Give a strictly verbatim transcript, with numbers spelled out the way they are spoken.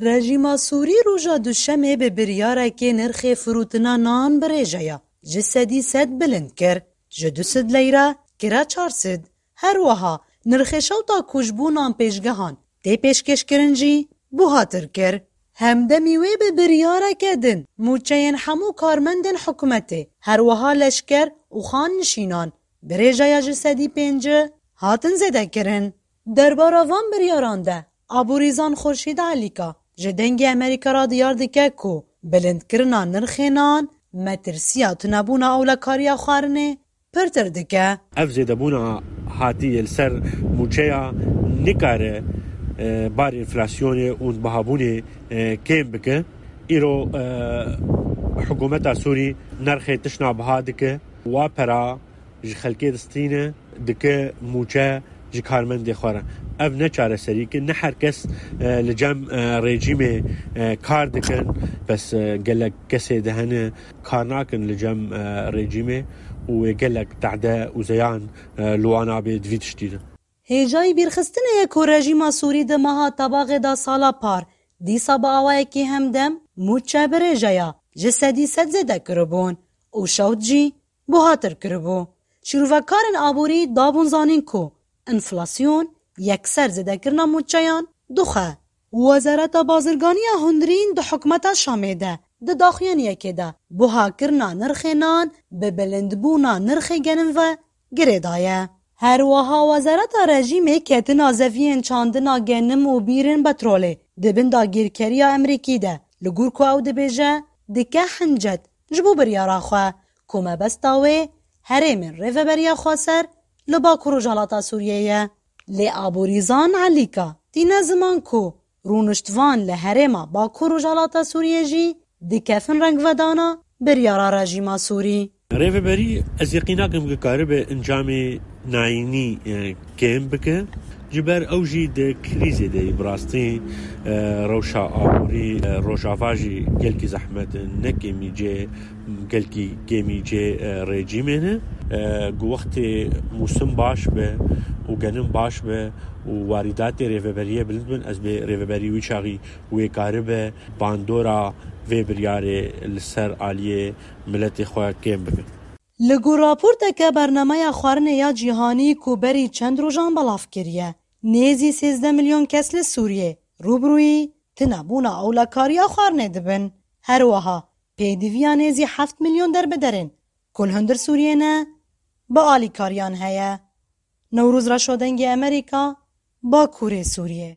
Rejîma Sûrî roja Duşemê bi biryarekê nirxê firûtina nan bi rêjeya ji sedî sed bilind kir. Ji du sed leyra kire çar sed. Her wiha nirxê şewta ku ji bo nan pêşgehan tê pêşkêşkirin jî buhatir kir. Hemdemî wê bi biryareke din mûçeyên hemû karmendên hikûmetê, her wiha leşker û xannişînan bi rêjeya ji sedî pêncî hatin zêdekirin. Derbara van biryaran de Aborîzan Xurşîd Elîka ji Dengê Amerîka re diyar dike ku bilindkirina nirxê nan metirsiya tunebûna ewlekariya xwarinê pirtir dike. Ev zêdebûna hatî yê li ser mûçeya nikare, e, barê enflasyonê û bihabûnê, e, kêm bike. Îro, e, hikûmeta Sûrî nirxê tiştna biha dike. Wa pera ji xelkê distîne, dike mûçe ji karmendê xwe re. Ev ne çareserî ke ne her kes, e, li cem, e, rejîmê, e, kar dikin. Bes, e, gelek kesê de hene kar nakin li cem, e, rejîmê û wê gelek tehde û zeyan, e, li wan abê di vî tiştî de. Hêjayî bîrxistinê ye ku rejîma Sûrî di meha Tebaxê de sala par dîsa bi awayekî hemdem mûçe bi rêjeya ji sedî sed zêde kiribûn û şewt jî buhatir kiribû. Şîrovekarên aborî dabûn zanîn ku enflasyon yekser zêdekirina mûçeyan dixwe. Wezareta Bazirganiya Hundirîn di hikûmeta Şamê de di daxuyaniyekê de buhakirina nirxê nan bi bilindbûna nirxê genim ve girêdaye. Her wiha wezareta rejîmê ketina zeviyên çandina genim û bîrên petrolê di bin dagîrkeriya Amerîkî de, li gor ku ew dibêje, dike hincet ji bo biryara xwe ku mebesta wê herêmên rêveberiya xweser li Bakur Rojhilata Sûriyê ye. Lê Aborîzan Elîka tîne ziman ku rûniştvan li herêma Bakur Rojhilata Sûriyê jî dikefin rengvedana biryara rejîma Sûrî. Rêveberî ez yeqîn nakim ku karibe encamê nayînî, e, kêm bike. Ji ber ew jî di krîzê de yî bi rastî, e, rewşa aborî, e, Rojava jî gelkî zehmet in, ne kêmî cê, gelkî kêmî cê, e, rejîmê ne. E, ku wextê mûsim baş be û genim baş be û warîdatê rêveberiyê bilind bin, ez bê rêveberî wî çaxî wê karibe bandora vê biryarê li ser aliyê miletê xwe kêm bibe. Li gor raporteke Bernameya Xwarinê ya Cîhanî ku berî çend rojan belav kiriye, nêzî sêzdeh milyon kes li Sûriyê rûbirûyî tunebûna ewlekariya xwarinê dibin. Her wiha pêdiviya nêzî heft milyon derbederên ku li hundir Sûriyê ne, bi alîkariyan heye. Newroz Reşo, Dengê Amerîka, Bakurê Sûriyê.